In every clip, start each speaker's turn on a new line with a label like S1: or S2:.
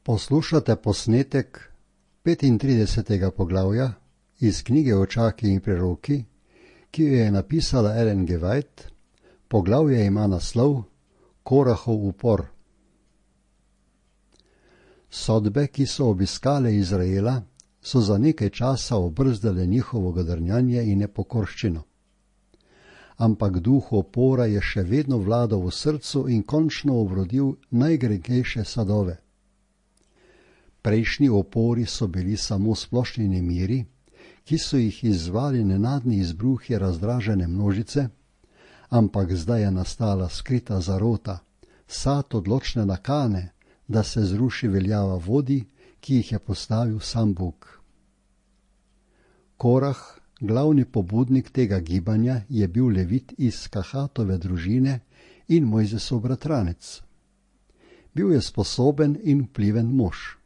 S1: Poslušate posnetek 35. poglavja iz knjige Očaki in preroki, ki jo je napisala Ellen G. White. Poglavje ima naslov Korahov upor. Sodbe, ki so obiskale Izraela, so za nekaj časa obrzdale njihovo godrnjanje in nepokorščino. Ampak duh upora je še vedno vladal v srcu in končno obrodil najgrenkejše sadove. Prejšnji upori so bili samo splošni nemiri, ki so jih izzvali nenadni izbruhi razdražene množice, ampak zdaj je nastala skrita zarota, sad odločne nakane, da se zruši veljava vodij, ki jih je postavil sam Bog. Korah, glavni pobudnik tega gibanja, je bil levit iz Kahatove družine in Mojzesov bratranec. Bil je sposoben in vpliven mož.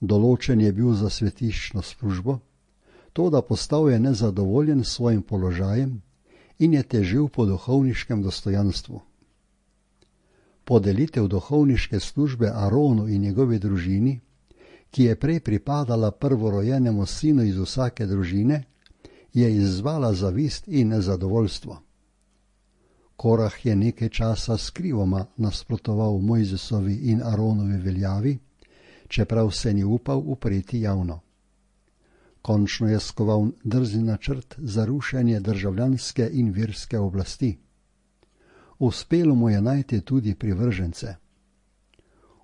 S1: Določen je bil za svetiščno službo, toda postal je nezadovoljen s svojim položajem in je težil po duhovniškem dostojanstvu. Podelitev duhovniške službe Aronu in njegovi družini, ki je prej pripadala prvorojenemu sinu iz vsake družine, je izzvala zavist in nezadovoljstvo. Korah je nekaj časa skrivoma nasprotoval Mojzesovi in Aronovi veljavi, čeprav se ni upal upreti javno. Končno je skoval drzni načrt za rušenje državljanske in verske oblasti. Uspelo mu je najti tudi privržence.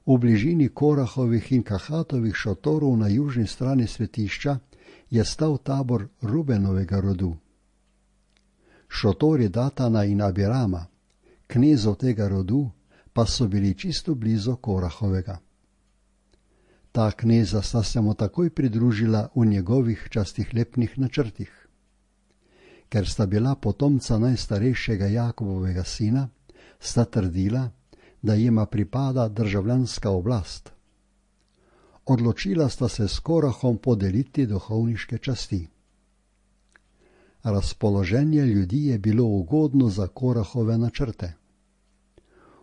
S1: V bližini Korahovih in Kahatovih šotorov na južni strani svetišča je stal tabor Rubenovega rodu. Šotori Datana in Abirama, knezov tega rodu, pa so bili čisto blizu Korahovega. Ta kneza sta se mu takoj pridružila v njegovih častihlepnih načrtih. Ker sta bila potomca najstarejšega Jakobovega sina, sta trdila, da jima pripada državljanska oblast. Odločila sta se s Korahom podeliti duhovniške časti. Razpoloženje ljudi je bilo ugodno za Korahove načrte.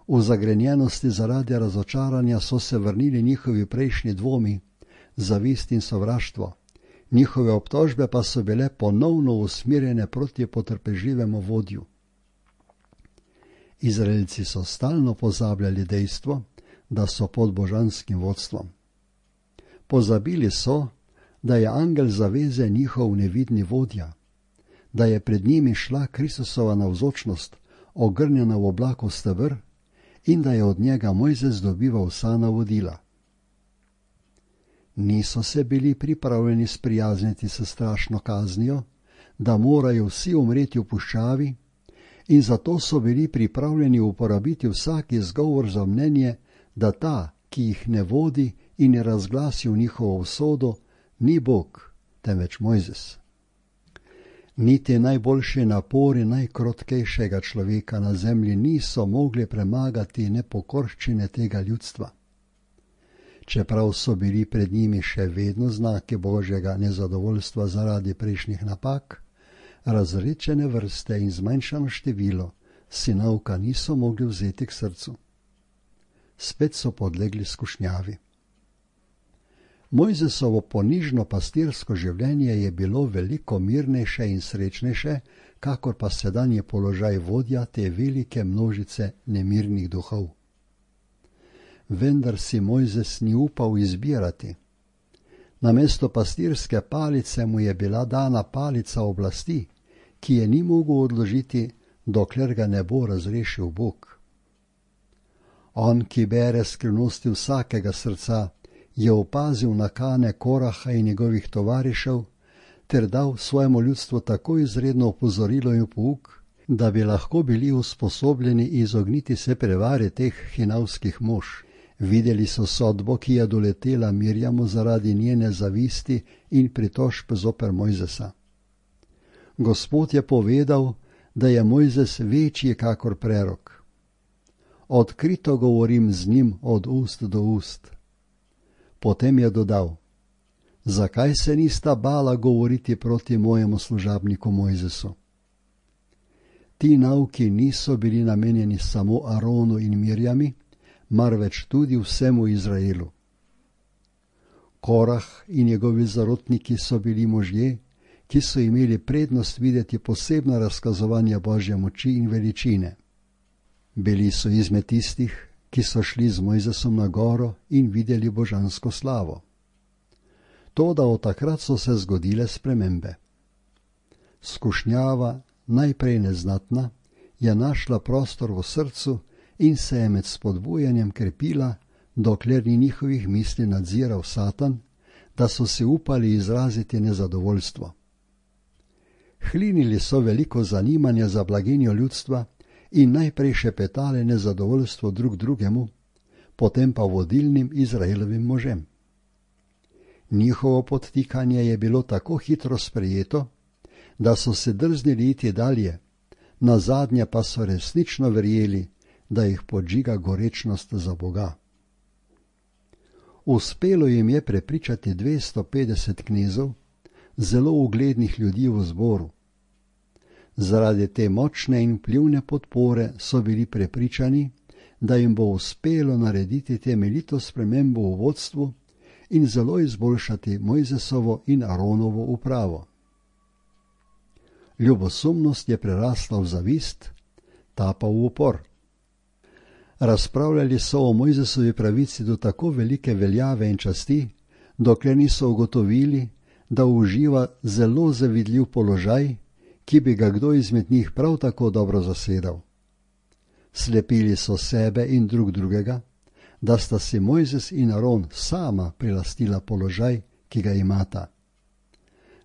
S1: V zagrenjenosti zaradi razočaranja so se vrnili njihovi prejšnji dvomi, zavist in sovraštvo. Njihove obtožbe pa so bile ponovno usmerjene proti potrpežljivemu vodju. Izraelci so stalno pozabljali dejstvo, da so pod božanskim vodstvom. Pozabili so, da je angel zaveze njihov nevidni vodja, da je pred njimi šla Kristusova navzočnost, ogrnjena v oblaku steber, in da je od njega Mojzes dobival vsa navodila. Niso se bili pripravljeni sprijazniti s strašno kaznijo, da morajo vsi umreti v puščavi, in zato so bili pripravljeni uporabiti vsak izgovor za mnenje, da ta, ki jih ne vodi in je razglasil njihovo usodo, ni Bog, temveč Mojzes. Niti najboljši napori najkrotkejšega človeka na zemlji niso mogli premagati nepokorščine tega ljudstva. Čeprav so bili pred njimi še vedno znaki Božjega nezadovoljstva zaradi prejšnjih napak, razredčene vrste in zmanjšano število sinovka niso mogli vzeti k srcu. Spet so podlegli skušnjavi. Mojzesovo ponižno pastirsko življenje je bilo veliko mirnejše in srečnejše, kakor pa sedanji položaj vodja te velike množice nemirnih duhov. Vendar si Mojzes ni upal izbirati. Namesto pastirske palice mu je bila dana palica oblasti, ki je ni mogel odložiti, dokler ga ne bo razrešil Bog. On, ki bere skrivnosti vsakega srca, je opazil nakane Koraha in njegovih tovarišev ter dal svojemu ljudstvu tako izredno opozorilo in pouk, da bi lahko bili usposobljeni izogniti se prevari teh hinavskih mož. Videli so sodbo, ki je doletela Mirjamu zaradi njene zavisti in pritožb zoper Mojzesa. Gospod je povedal, da je Mojzes večji kakor prerok. Odkrito govorim z njim od ust do ust. Potem je dodal, zakaj se nista bala govoriti proti mojemu služabniku Mojzesu? Ti nauki niso bili namenjeni samo Aronu in Mirjami, marveč tudi vsemu Izraelu. Korah in njegovi zarotniki so bili možje, ki so imeli prednost videti posebno razkazovanje Božje moči in veličine. Bili so izmed tistih, ki so šli z Mojzesom na goro in videli božansko slavo. Toda od takrat so se zgodile spremembe. Skušnjava, najprej neznatna, je našla prostor v srcu in se je med spodbujanjem krepila, dokler ni njihovih misli nadziral Satan, da so se upali izraziti nezadovoljstvo. Hlinili so veliko zanimanja za blaginjo ljudstva in najprej šepetali nezadovoljstvo drug drugemu, potem pa vodilnim Izraelovim možem. Njihovo podtikanje je bilo tako hitro sprejeto, da so se drznili iti dalje, nazadnje pa so resnično verjeli, da jih podžiga gorečnost za Boga. Uspelo jim je prepričati 250 knezov, zelo uglednih ljudi v zboru. Zaradi te močne in vplivne podpore so bili prepričani, da jim bo uspelo narediti temeljito spremembo v vodstvu in zelo izboljšati Mojzesovo in Aronovo upravo. Ljubosumnost je prerasla v zavist, ta pa v upor. Razpravljali so o Mojzesovi pravici do tako velike veljave in časti, dokler niso ugotovili, da uživa zelo zavidljiv položaj, ki bi ga kdo izmed njih prav tako dobro zasedal. Slepili so sebe in drug drugega, da sta si Mojzes in Aron sama prilastila položaj, ki ga imata.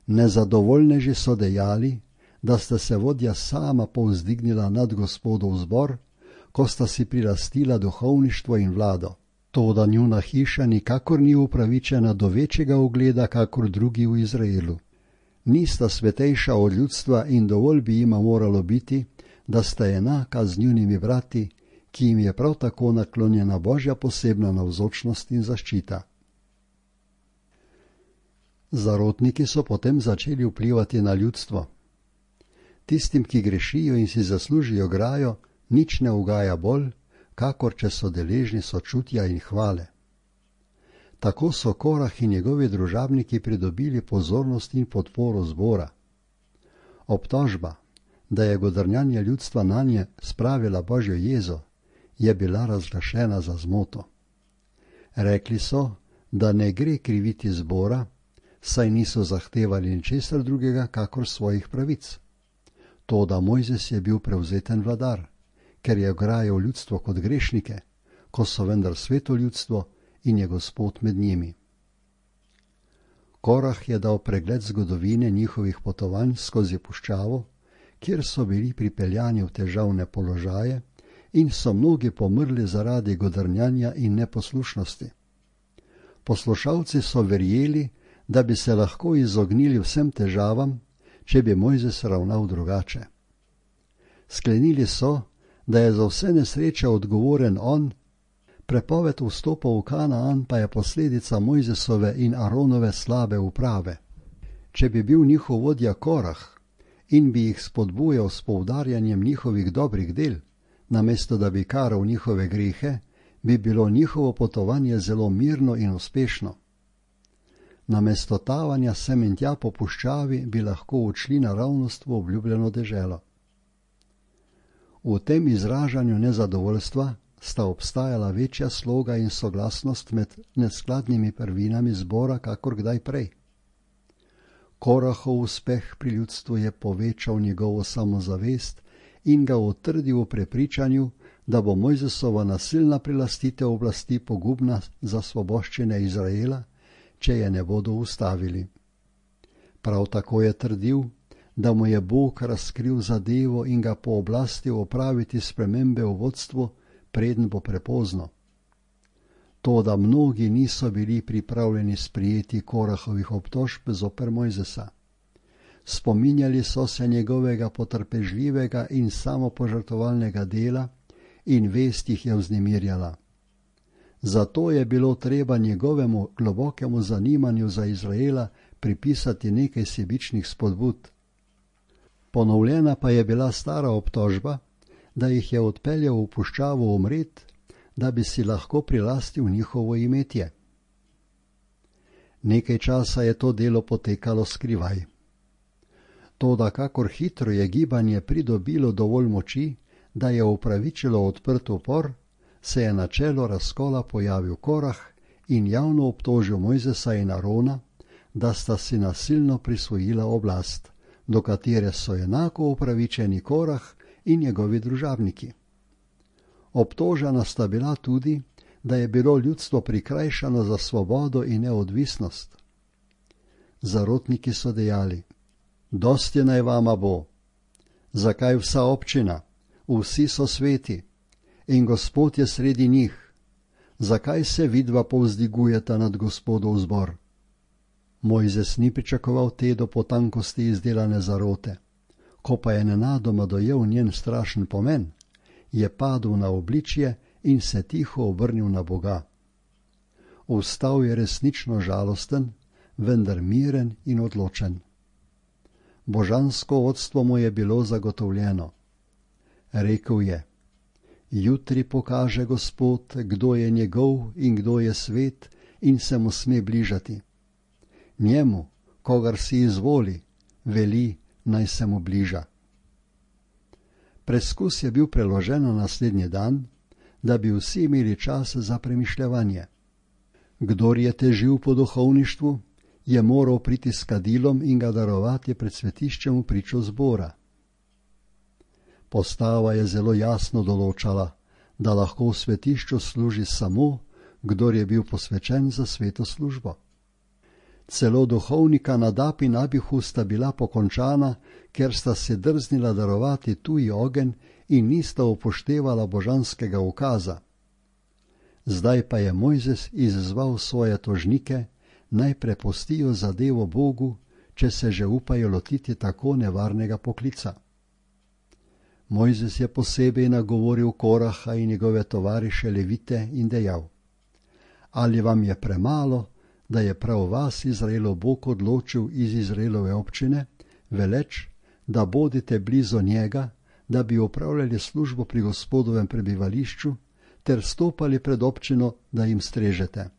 S1: Nezadovoljneži so dejali, da sta se vodja sama povzdignila nad Gospodov zbor, ko sta si prilastila duhovništvo in vlado. Toda njuna hiša nikakor ni upravičena do večjega ugleda kakor drugi v Izraelu. Nista svetejša od ljudstva in dovolj bi jima moralo biti, da sta enaka z njunimi brati, ki jim je prav tako naklonjena Božja posebna navzočnost in zaščita. Zarotniki so potem začeli vplivati na ljudstvo. Tistim, ki grešijo in si zaslužijo grajo, nič ne ugaja bolj, kakor če so deležni sočutja in hvale. Tako so Korah in njegovi družabniki pridobili pozornost in podporo zbora. Obtožba, da je godrnjanje ljudstva nanje spravila Božjo jezo, je bila razglašena za zmoto. Rekli so, da ne gre kriviti zbora, saj niso zahtevali ničesar drugega kakor svojih pravic. Toda Mojzes je bil prevzeten vladar, ker je ograjal ljudstvo kot grešnike, ko so vendar sveto ljudstvo in je Gospod med njimi. Korah je dal pregled zgodovine njihovih potovanj skozi puščavo, kjer so bili pripeljani v težavne položaje in so mnogi pomrli zaradi godrnjanja in neposlušnosti. Poslušalci so verjeli, da bi se lahko izognili vsem težavam, če bi Mojzes ravnal drugače. Sklenili so, da je za vse nesreče odgovoren on, prepoved vstopa v Kanaan pa je posledica Mojzesove in Aronove slabe uprave. Če bi bil njihov vodja Korah in bi jih spodbujal s poudarjanjem njihovih dobrih del, namesto da bi karal njihove grehe, bi bilo njihovo potovanje zelo mirno in uspešno. Namesto tavanja sem in tja po puščavi bi lahko odšli naravnost v obljubljeno deželo. V tem izražanju nezadovoljstva sta obstajala večja sloga in soglasnost med neskladnimi prvinami zbora kakor kdaj prej. Korahov uspeh pri ljudstvu je povečal njegovo samozavest in ga utrdil v prepričanju, da bo Mojzesova nasilna prilastitev oblasti pogubna za svoboščine Izraela, če je ne bodo ustavili. Prav tako je trdil, da mu je Bog razkril zadevo in ga pooblastil opraviti spremembe v vodstvu, preden bo prepozno. Toda mnogi niso bili pripravljeni sprejeti Korahovih obtožb zoper Mojzesa. Spominjali so se njegovega potrpežljivega in samopožrtovalnega dela in vest jih je vznemirjala. Zato je bilo treba njegovemu globokemu zanimanju za Izraela pripisati nekaj sebičnih spodbud. Ponovljena pa je bila stara obtožba, da jih je odpeljal v puščavo umret, da bi si lahko prilastil njihovo imetje. Nekaj časa je to delo potekalo skrivaj. Toda kakor hitro je gibanje pridobilo dovolj moči, da je upravičilo odprt upor, se je na čelu razkola pojavil Korah in javno obtožil Mojzesa in Arona, da sta si nasilno prisvojila oblast, do katere so enako upravičeni Korah in njegovi družabniki. Obtožena sta bila tudi, da je bilo ljudstvo prikrajšano za svobodo in neodvisnost. Zarotniki so dejali: dosti naj vama bo. Zakaj vsa občina? Vsi so sveti in Gospod je sredi njih. Zakaj se vidva povzdigujeta nad Gospodov zbor? Mojzes ni pričakoval te do potankosti izdelane zarote. Ko pa je nenadoma dojel njen strašen pomen, je padel na obličje in se tiho obrnil na Boga. Vstal je resnično žalosten, vendar miren in odločen. Božansko vodstvo mu je bilo zagotovljeno. Rekel je: jutri pokaže Gospod, kdo je njegov in kdo je svet in se mu sme bližati. Njemu, kogar si izvoli, veli, naj se mu bliža. Preskus je bil preložen na naslednji dan, da bi vsi imeli čas za premišljevanje. Kdor je težil po duhovništvu, je moral priti s kadilom in ga darovati pred svetiščem v pričo zbora. Postava je zelo jasno določala, da lahko v svetišču služi samo, kdor je bil posvečen za sveto službo. Celo duhovnika Nadab in Abihu sta bila pokončana, ker sta se drznila darovati tuji ogenj in nista upoštevala božanskega ukaza. Zdaj pa je Mojzes izzval svoje tožnike, naj prepustijo zadevo Bogu, če se že upajo lotiti tako nevarnega poklica. Mojzes je posebej nagovoril Koraha in njegove tovariše Levite in dejal: ali vam je premalo, da je prav vas Izraelov Bog odločil iz Izraelove občine, veleč, da bodite blizu njega, da bi opravljali službo pri Gospodovem prebivališču, ter stopali pred občino, da jim strežete.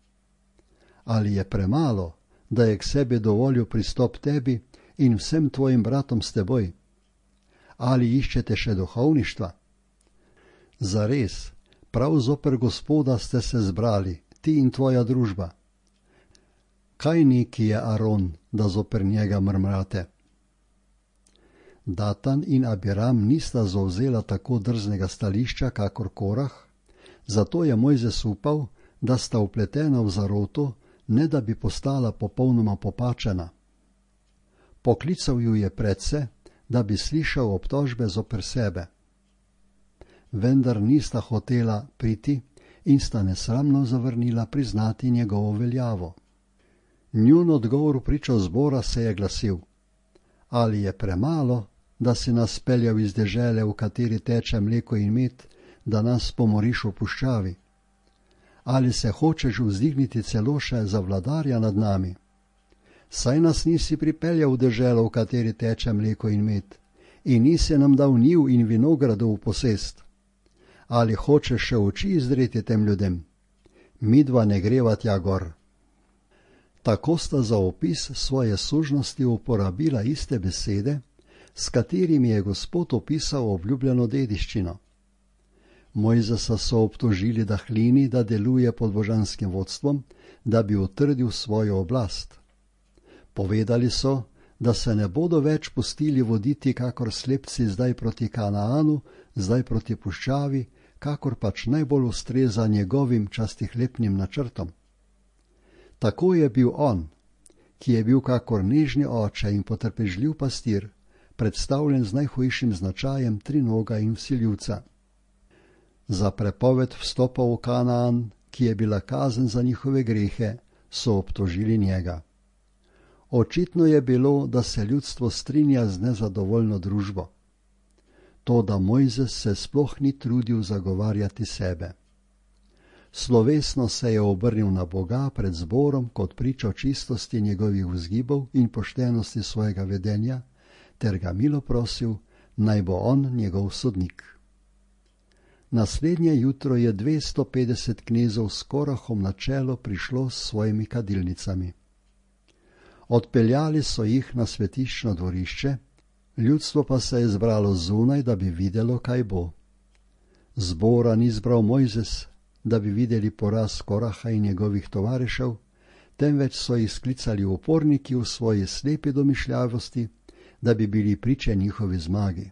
S1: Ali je premalo, da je k sebi dovolil pristop tebi in vsem tvojim bratom s teboj? Ali iščete še duhovništva? Zares, prav zoper Gospoda ste se zbrali, ti in tvoja družba. Kaj neki je Aron, da zoper njega mrmrate? Datan in Abiram nista zavzela tako drznega stališča, kakor Korah, zato je Mojzes upal, da sta vpletena v zaroto, ne da bi postala popolnoma popačena. Poklical ju je predse, da bi slišal obtožbe zoper sebe. Vendar nista hotela priti in sta nesramno zavrnila priznati njegovo veljavo. Njun odgovor v pričo zbora se je glasil: ali je premalo, da si nas peljal iz dežele, v kateri teče mleko in med, da nas pomoriš v puščavi? Ali se hočeš vzdigniti celo še za vladarja nad nami? Saj nas nisi pripeljal v deželo, v kateri teče mleko in med, in nisi nam dal njiv in vinogradov v posest. Ali hočeš še oči izdreti tem ljudem? Midva ne greva tja gor. Tako sta za opis svoje sužnosti uporabila iste besede, s katerimi je Gospod opisal obljubljeno dediščino. Mojzesa so obtožili, da hlini, da deluje pod božanskim vodstvom, da bi utrdil svojo oblast. Povedali so, da se ne bodo več pustili voditi kakor slepci zdaj proti Kanaanu, zdaj proti puščavi, kakor pač najbolj ustreza njegovim častihlepnim načrtom. Tako je bil on, ki je bil kakor nežni oče in potrpežljiv pastir, predstavljen z najhujšim značajem trinoga in vsiljivca. Za prepoved vstopa v Kanaan, ki je bila kazen za njihove grehe, so obtožili njega. Očitno je bilo, da se ljudstvo strinja z nezadovoljno družbo. Toda Mojzes se sploh ni trudil zagovarjati sebe. Slovesno se je obrnil na Boga pred zborom kot pričo čistosti njegovih vzgibov in poštenosti svojega vedenja, ter ga milo prosil, naj bo on njegov sodnik. Naslednje jutro je 250 knezov s Korahom na čelo prišlo s svojimi kadilnicami. Odpeljali so jih na svetiščno dvorišče, ljudstvo pa se je zbralo zunaj, da bi videlo, kaj bo. Zbora ni zbral Mojzes, da bi videli poraz Koraha in njegovih tovarišev, temveč so jih sklicali uporniki v svoji slepi domišljavosti, da bi bili priče njihovi zmagi.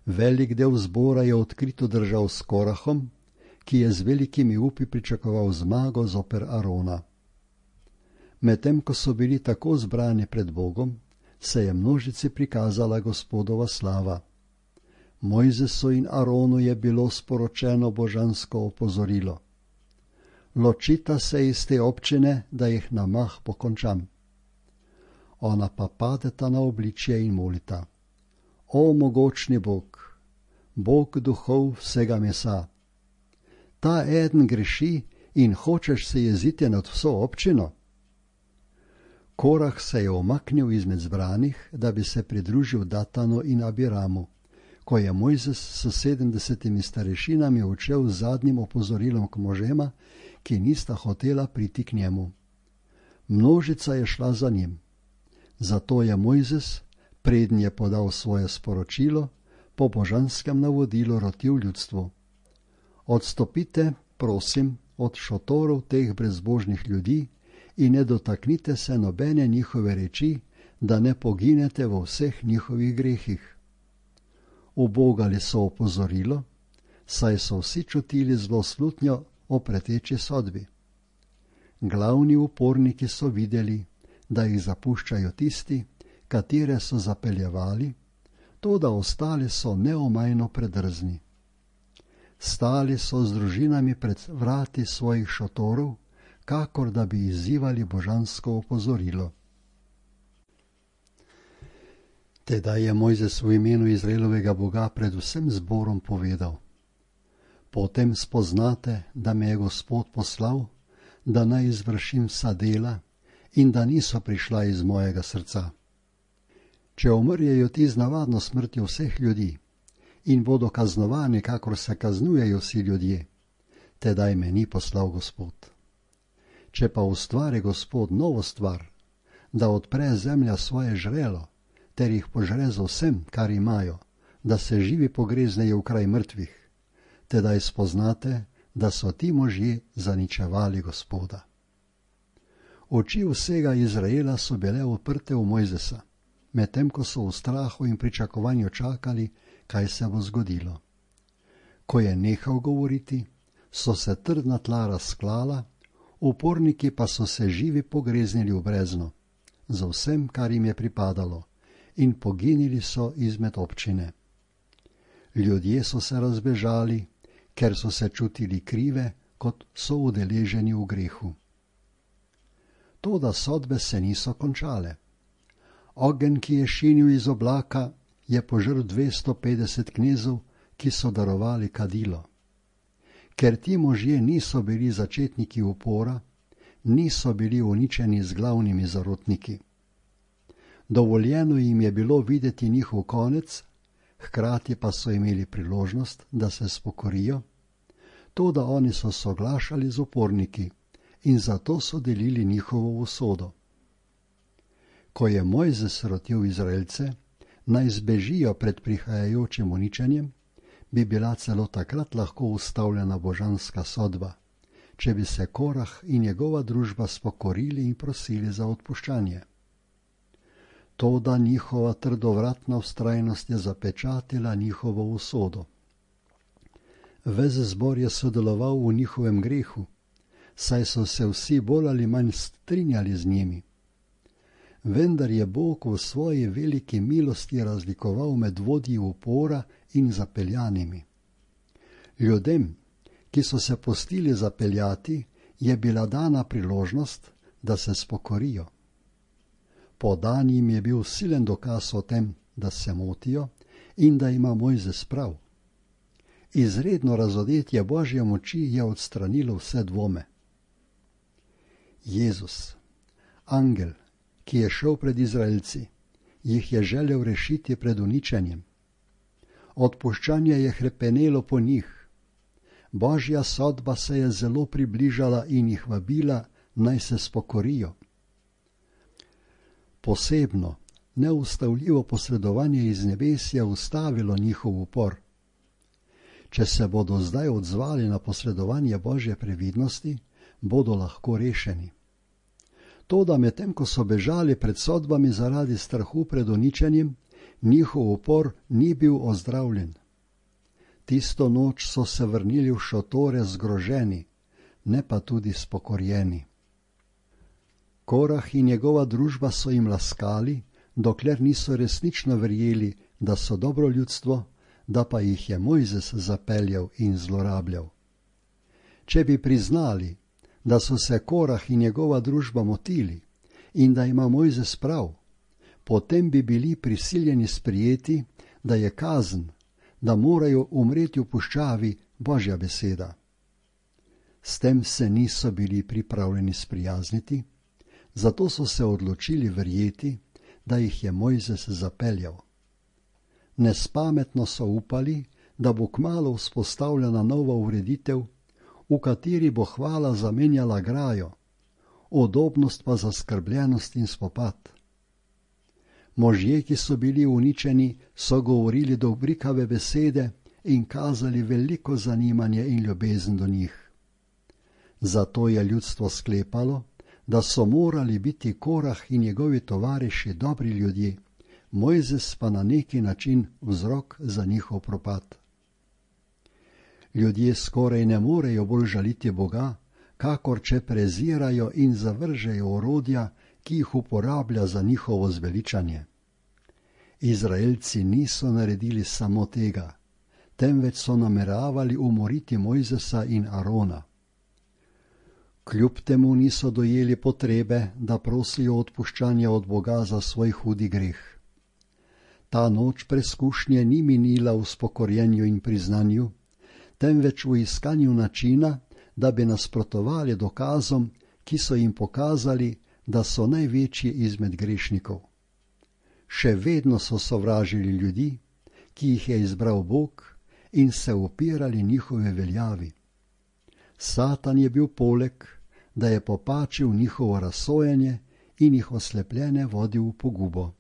S1: Velik del zbora je odkrito držal s Korahom, ki je z velikimi upi pričakoval zmago zoper Arona. Medtem ko so bili tako zbrani pred Bogom, se je množici prikazala Gospodova slava. Mojzesu in Aronu je bilo sporočeno božansko opozorilo. Ločita se iz te občine, da jih na mah pokončam. Ona pa padeta na obličje in molita. O mogočni Bog, Bog duhov vsega mesa, ta eden greši in hočeš se jeziti nad vso občino? Korah se je omaknil izmed zbranih, da bi se pridružil Datanu in Abiramu, ko je Mojzes s 70 starešinami odšel z zadnjim opozorilom k možema, ki nista hotela priti k njemu. Množica je šla za njim. Zato je Mojzes, preden je podal svoje sporočilo, po božanskem navodilu rotil ljudstvu. Odstopite, prosim, od šotorov teh brezbožnih ljudi in ne dotaknite se nobene njihove reči, da ne poginete v vseh njihovih grehih. Ubogali so opozorilo, saj so vsi čutili zlo slutnjo o preteči sodbi. Glavni uporniki so videli, da jih zapuščajo tisti, katere so zapeljevali, toda ostali so neomajno predrzni. Stali so z družinami pred vrati svojih šotorov, kakor da bi izzivali božansko opozorilo. Tedaj je Mojzes v imenu Izraelovega Boga pred vsem zborom povedal: Potem spoznate, da me je Gospod poslal, da naj izvršim vsa dela in da niso prišla iz mojega srca. Če umrjejo ti z navadno smrtjo vseh ljudi in bodo kaznovani, kakor se kaznujejo vsi ljudje, tedaj me ni poslal Gospod. Če pa ustvari Gospod novo stvar, da odpre zemlja svoje žrelo, ter jih požre z vsem, kar imajo, da se živi pogreznejo v kraj mrtvih, tedaj spoznate, da so ti možje zaničevali Gospoda. Oči vsega Izraela so bile uprte v Mojzesa, medtem ko so v strahu in pričakovanju čakali, kaj se bo zgodilo. Ko je nehal govoriti, so se trdna tla razklala, uporniki pa so se živi pogreznili v brezno, za vsem, kar jim je pripadalo, in poginili so izmed občine. Ljudje so se razbežali, ker so se čutili krive, kot so udeleženi v grehu. Toda sodbe se niso končale. Ogenj, ki je šinil iz oblaka, je požrl 250 knezov, ki so darovali kadilo. Ker ti možje niso bili začetniki upora, niso bili uničeni z glavnimi zarotniki. Dovoljeno jim je bilo videti njihov konec, hkrati pa so imeli priložnost, da se spokorijo, toda oni so soglašali z uporniki in zato so delili njihovo usodo. Ko je Mojzes rotil Izraelce, naj zbežijo pred prihajajočim uničenjem, bi bila celo takrat lahko ustavljena božanska sodba, če bi se Korah in njegova družba spokorili in prosili za odpuščanje. Toda njihova trdovratna vztrajnost je zapečatila njihovo usodo. Ves zbor je sodeloval v njihovem grehu, saj so se vsi bolj ali manj strinjali z njimi. Vendar je Bog v svoji veliki milosti razlikoval med vodji upora in zapeljanimi. Ljudem, ki so se pustili zapeljati, je bila dana priložnost, da se spokorijo. Podan jim je bil silen dokaz o tem, da se motijo in da ima Mojzes prav. Izredno razodetje Božje moči je odstranilo vse dvome. Jezus, angel, ki je šel pred Izraelci, jih je želel rešiti pred uničenjem. Odpuščanje je hrepenelo po njih. Božja sodba se je zelo približala in jih vabila, naj se spokorijo. Posebno, neustavljivo posredovanje iz nebes je ustavilo njihov upor. Če se bodo zdaj odzvali na posredovanje Božje previdnosti, bodo lahko rešeni. Toda medtem, ko so bežali pred sodbami zaradi strahu pred uničenjem, njihov upor ni bil ozdravljen. Tisto noč so se vrnili v šotore zgroženi, ne pa tudi spokorjeni. Korah in njegova družba so jim laskali, dokler niso resnično verjeli, da so dobro ljudstvo, da pa jih je Mojzes zapeljal in zlorabljal. Če bi priznali, da so se Korah in njegova družba motili in da ima Mojzes prav, potem bi bili prisiljeni sprijeti, da je kazen, da morajo umreti v puščavi, Božja beseda. S tem se niso bili pripravljeni sprijazniti, zato so se odločili verjeti, da jih je Mojzes zapeljal. Nespametno so upali, da bo kmalu vzpostavljena nova ureditev, v kateri bo hvala zamenjala grajo, udobnost pa zaskrbljenost in spopad. Možje, ki so bili uničeni, so govorili dobrikave besede in kazali veliko zanimanje in ljubezen do njih. Zato je ljudstvo sklepalo, da so morali biti Korah in njegovi tovariši dobri ljudje, Mojzes pa na neki način vzrok za njihov propad. Ljudje skoraj ne morejo bolj žaliti Boga, kakor če prezirajo in zavržejo orodja, ki jih uporablja za njihovo zveličanje. Izraelci niso naredili samo tega, temveč so nameravali umoriti Mojzesa in Arona. Kljub temu niso dojeli potrebe, da prosijo odpuščanja od Boga za svoj hudi greh. Ta noč preskušnje ni minila v spokorjenju in priznanju, temveč v iskanju načina, da bi nasprotovali dokazom, ki so jim pokazali, da so največji izmed grešnikov. Še vedno so sovražili ljudi, ki jih je izbral Bog, in se upirali njihove veljavi. Satan je bil poleg, da je popačil njihovo razsojanje in jih oslepljene vodil v pogubo.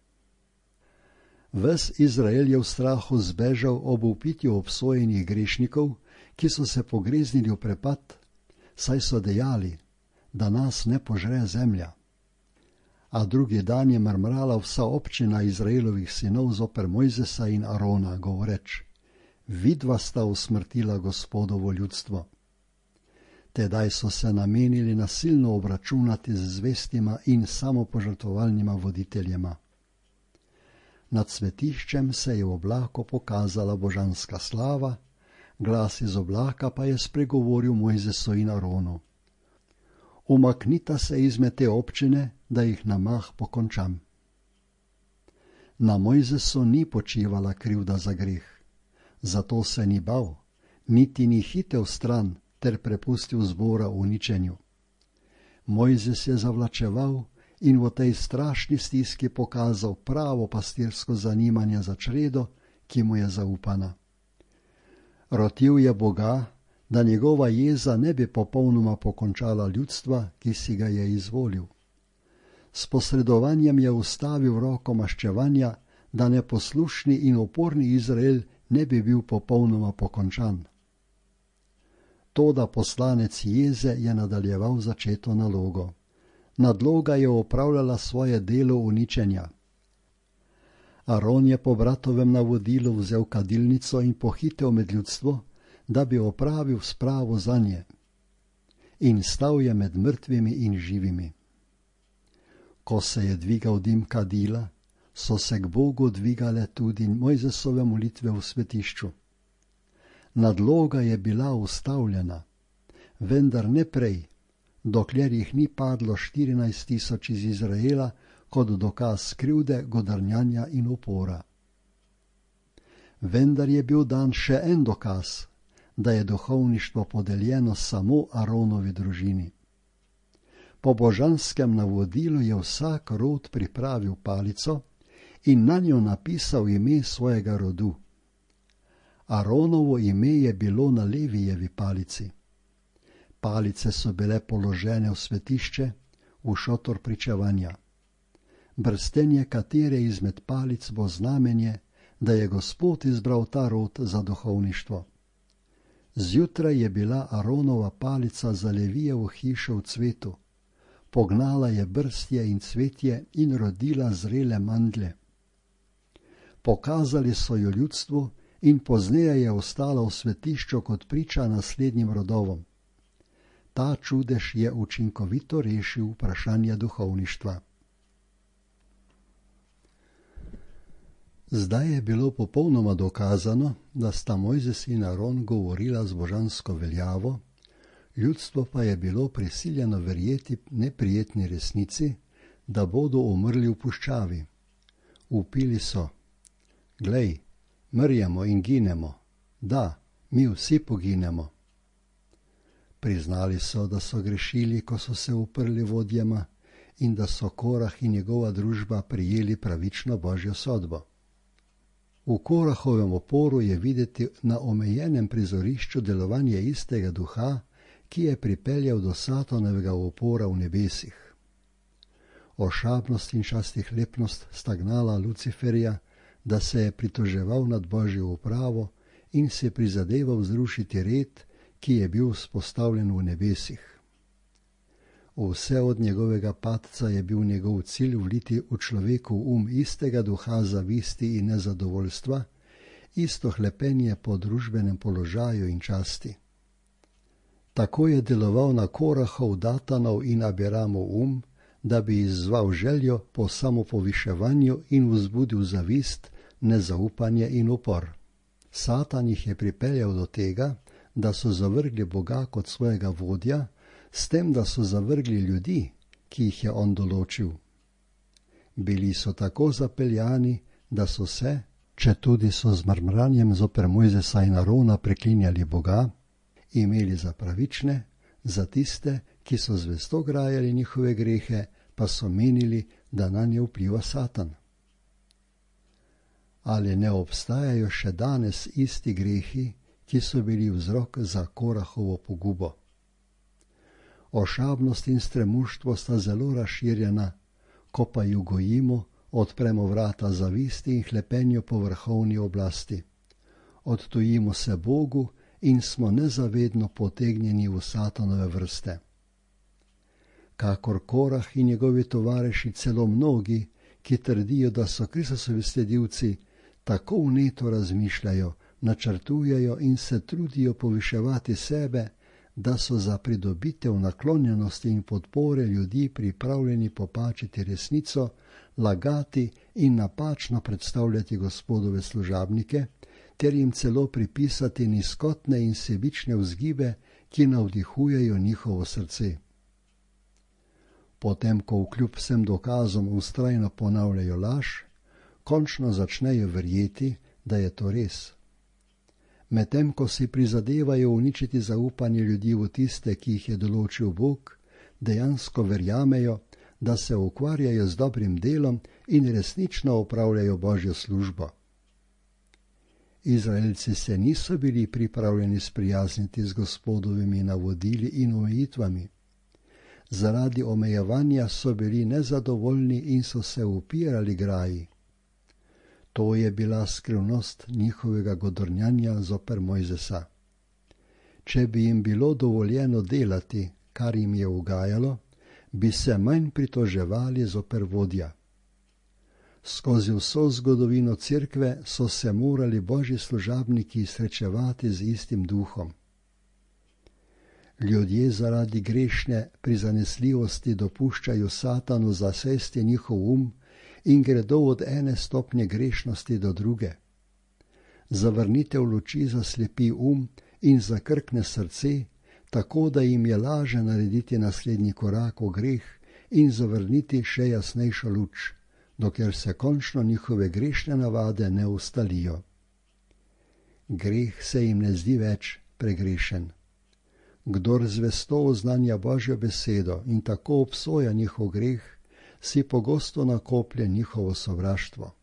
S1: Ves Izrael je v strahu zbežal ob upitju obsojenih grešnikov, ki so se pogreznili v prepad, saj so dejali, da nas ne požre zemlja. A drugi dan je mrmrala vsa občina Izraelovih sinov zoper Mojzesa in Arona, govoreč: vidva sta usmrtila Gospodovo ljudstvo. Tedaj so se namenili nasilno obračunati z zvestima in samopožrtvovalnima voditeljema. Nad svetiščem se je v oblaku pokazala božanska slava, glas iz oblaka pa je spregovoril Mojzesu in Aronu: umaknita se izmed te občine, da jih na mah pokončam. Na Mojzesu ni počivala krivda za greh, zato se ni bal, niti ni hitel stran ter prepustil zbora uničenju. Mojzes je zavlačeval in v tej strašni stiski pokazal pravo pastirsko zanimanje za čredo, ki mu je zaupana. Rotil je Boga, da njegova jeza ne bi popolnoma pokončala ljudstva, ki si ga je izvolil. S posredovanjem je ustavil roko maščevanja, da neposlušni in uporni Izrael ne bi bil popolnoma pokončan. Toda poslanec jeze je nadaljeval začeto nalogo. Nadloga je opravljala svoje delo uničenja. Aron je po bratovem navodilu vzel kadilnico in pohitel med ljudstvo, da bi opravil spravo zanje. In stal je med mrtvimi in živimi. Ko se je dvigal dim kadila, so se k Bogu dvigale tudi Mojzesove molitve v svetišču. Nadloga je bila ustavljena, vendar ne prej, dokler jih ni padlo 14.000 iz Izraela kot dokaz krivde, godrnjanja in upora. Vendar je bil dan še en dokaz, da je duhovništvo podeljeno samo Aronovi družini. Po božanskem navodilu je vsak rod pripravil palico in na njo napisal ime svojega rodu. Aronovo ime je bilo na Levijevi palici. Palice so bile položene v svetišče, v šotor pričevanja. brstenje katere izmed palic bo znamenje, da je Gospod izbral ta rod za duhovništvo. Zjutraj je bila Aronova palica za Levijevo hišo v cvetu. Pognala je brstje in cvetje in rodila zrele mandlje. Pokazali so jo ljudstvu in pozneje je ostala v svetišču kot priča naslednjim rodovom. Ta čudež je učinkovito rešil vprašanje duhovništva. Zdaj je bilo popolnoma dokazano, da sta Mojzes in Aron govorila z božansko veljavo, ljudstvo pa je bilo prisiljeno verjeti neprijetni resnici, da bodo umrli v puščavi. Vpili so: Glej, mrjemo in ginemo. Da, mi vsi poginemo. Priznali so, da so grešili, ko so se uprli vodjama, in da so Korah in njegova družba prijeli pravično božjo sodbo. V Korahovem oporu je videti na omejenem prizorišču delovanje istega duha, ki je pripeljal do Satanovega upora v nebesih. Ošabnost in častihlepnost sta gnala Luciferja, da se je pritoževal nad božjo upravo in se prizadeval zrušiti red, ki je bil vzpostavljen v nebesih. Vse od njegovega padca je bil njegov cilj vliti v človeku istega duha zavisti in nezadovoljstva, isto hlepenje po družbenem položaju in časti. Tako je deloval na Korahov, Datanov in Abiramov da bi izzval željo po samopoviševanju in vzbudil zavist, nezaupanje in upor. Satan jih je pripeljal do tega, da so zavrgli Boga kot svojega vodja, s tem, da so zavrgli ljudi, ki jih je on določil. Bili so tako zapeljani, da so se, četudi so z mrmranjem zoper Mojzesa in Arona preklinjali Boga, imeli za pravične, za tiste, ki so zvesto grajali njihove grehe, pa so menili, da nanje vpliva Satan. Ali ne obstajajo še danes isti grehi, ki so bili vzrok za Korahovo pogubo? Ošabnost in stremuštvo sta zelo razširjena, ko pa ju gojimo, odpremo vrata zavisti in hlepenju po vrhovni oblasti. Odtujimo se Bogu in smo nezavedno potegnjeni v Satanove vrste. Kakor Korah in njegovi tovariši, celo mnogi, ki trdijo, da so Kristusovi sledilci, tako vneto razmišljajo, načrtujejo in se trudijo poviševati sebe, da so za pridobitev naklonjenosti in podpore ljudi pripravljeni popačiti resnico, lagati in napačno predstavljati Gospodove služabnike, ter jim celo pripisati nizkotne in sebične vzgibe, ki navdihujejo njihovo srce. Potem, ko vkljub vsem dokazom vztrajno ponavljajo laž, končno začnejo verjeti, da je to res. Medtem, ko si prizadevajo uničiti zaupanje ljudi v tiste, ki jih je določil Bog, dejansko verjamejo, da se ukvarjajo z dobrim delom in resnično opravljajo božjo službo. Izraelci se niso bili pripravljeni sprijazniti z Gospodovimi navodili in omejitvami. Zaradi omejevanja so bili nezadovoljni in so se upirali graji. To je bila skrivnost njihovega godrnjanja zoper Mojzesa. Če bi jim bilo dovoljeno delati, kar jim je ugajalo, bi se manj pritoževali zoper vodja. Skozi vso zgodovino cerkve so se morali božji služabniki srečevati z istim duhom. Ljudje zaradi grešne prizanesljivosti dopuščajo Satanu zasesti njihov in gredo od ene stopnje grešnosti do druge. Zavrnitev luči zaslepi in zakrkne srce, tako da jim je laže narediti naslednji korak v greh in zavrniti še jasnejšo luč, dokler se končno njihove grešne navade ne ustalijo. Greh se jim ne zdi več pregrešen. Kdor zvesto oznanja Božjo besedo in tako obsoja njihov greh, si pogosto nakoplje njihovo sovraštvo.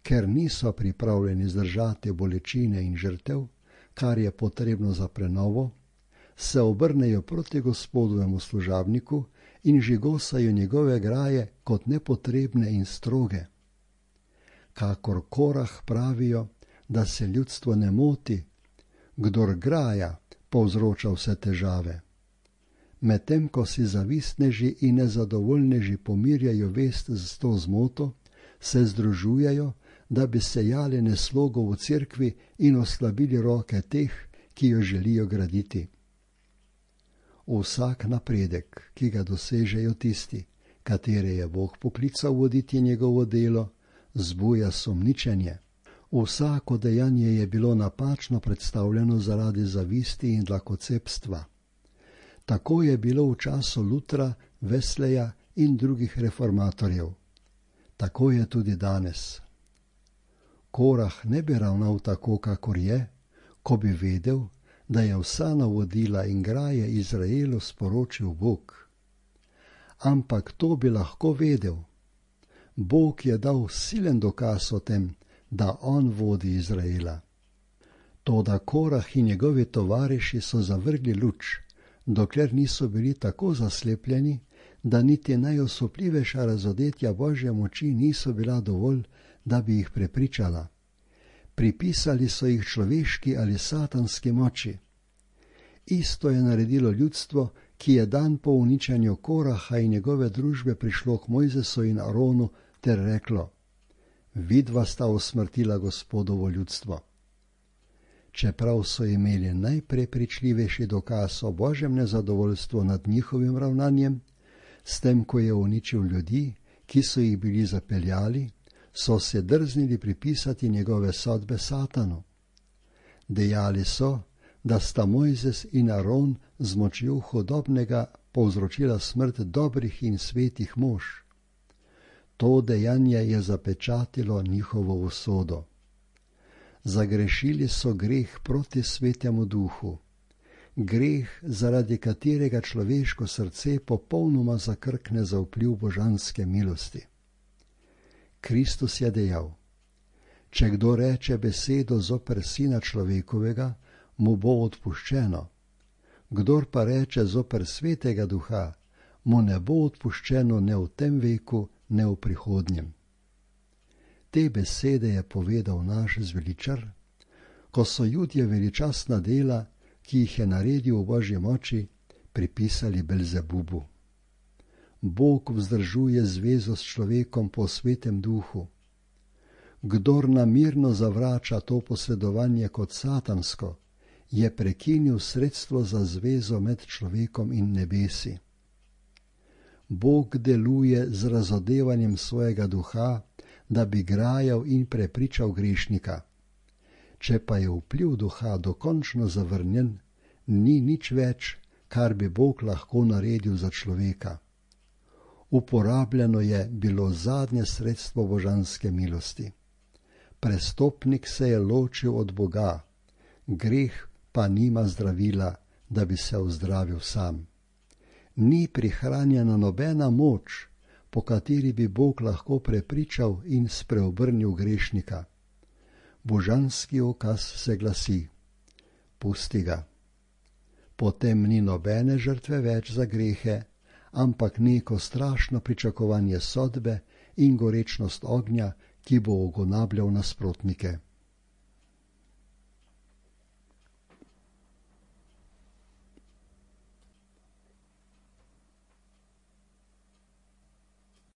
S1: Ker niso pripravljeni zdržati bolečine in žrtev, kar je potrebno za prenovo, se obrnejo proti Gospodovemu služabniku in žigosajo njegove graje kot nepotrebne in stroge. Kakor Korah pravijo, da se ljudstvo ne moti, kdor graja, povzroča vse težave. Medtem ko si zavistneži in nezadovoljneži pomirjajo vest z to zmoto, se združujejo, da bi sejali neslogo v cerkvi in oslabili roke teh, ki jo želijo graditi. Vsak napredek, ki ga dosežejo tisti, katere je Bog poklical voditi njegovo delo, zbuja sumničenje. Vsako dejanje je bilo napačno predstavljeno zaradi zavisti in dlakocepstva. Tako je bilo v času Lutra, Wesleya in drugih reformatorjev. Tako je tudi danes. Korah ne bi ravnal tako, kakor je, ko bi vedel, da je vsa navodila in graje Izraelu sporočil Bog. Ampak to bi lahko vedel. Bog je dal silen dokaz o tem, da on vodi Izraela. Toda Korah in njegovi tovariši so zavrgli luč, dokler niso bili tako zaslepljeni, da niti najosupljivejša razodetja Božje moči niso bila dovolj, da bi jih prepričala. Pripisali so jih človeški ali satanski moči. Isto je naredilo ljudstvo, ki je dan po uničenju Koraha in njegove družbe prišlo k Mojzesu in Aronu ter reklo: vidva sta usmrtila Gospodovo ljudstvo. Čeprav so imeli najprepričljivejši dokaz o Božjem nezadovoljstvu nad njihovim ravnanjem, s tem, ko je uničil ljudi, ki so jih bili zapeljali, so se drznili pripisati njegove sodbe Satanu. Dejali so, da sta Mojzes in Aron z močjo hudobnega povzročila smrt dobrih in svetih mož. To dejanje je zapečatilo njihovo usodo. Zagrešili so greh proti svetemu duhu, greh, zaradi katerega človeško srce popolnoma zakrkne za vpliv božanske milosti. Kristus je dejal: če kdo reče besedo zoper Sina človekovega, mu bo odpuščeno. Kdor pa reče zoper Svetega Duha, mu ne bo odpuščeno ne v tem veku, ne v prihodnjem. Te besede je povedal naš zveličar, ko so Judje veličastna dela, ki jih je naredil v Božji moči, pripisali Belzebubu. Bog vzdržuje zvezo s človekom po Svetem Duhu. Kdor namirno zavrača to posredovanje kot satansko, je prekinil sredstvo za zvezo med človekom in nebesi. Bog deluje z razodevanjem svojega duha, da bi grajal in prepričal grešnika. Če pa je vpliv duha dokončno zavrnjen, ni nič več, kar bi Bog lahko naredil za človeka. Uporabljeno je bilo zadnje sredstvo božanske milosti. Prestopnik se je ločil od Boga, greh pa nima zdravila, da bi se ozdravil sam. Ni prihranjena nobena moč, po kateri bi Bog lahko prepričal in spreobrnil grešnika. Božanski ukaz se glasi: pusti ga. Potem ni nobene žrtve več za grehe, ampak neko strašno pričakovanje sodbe in gorečnost ognja, ki bo ugonabljal nasprotnike.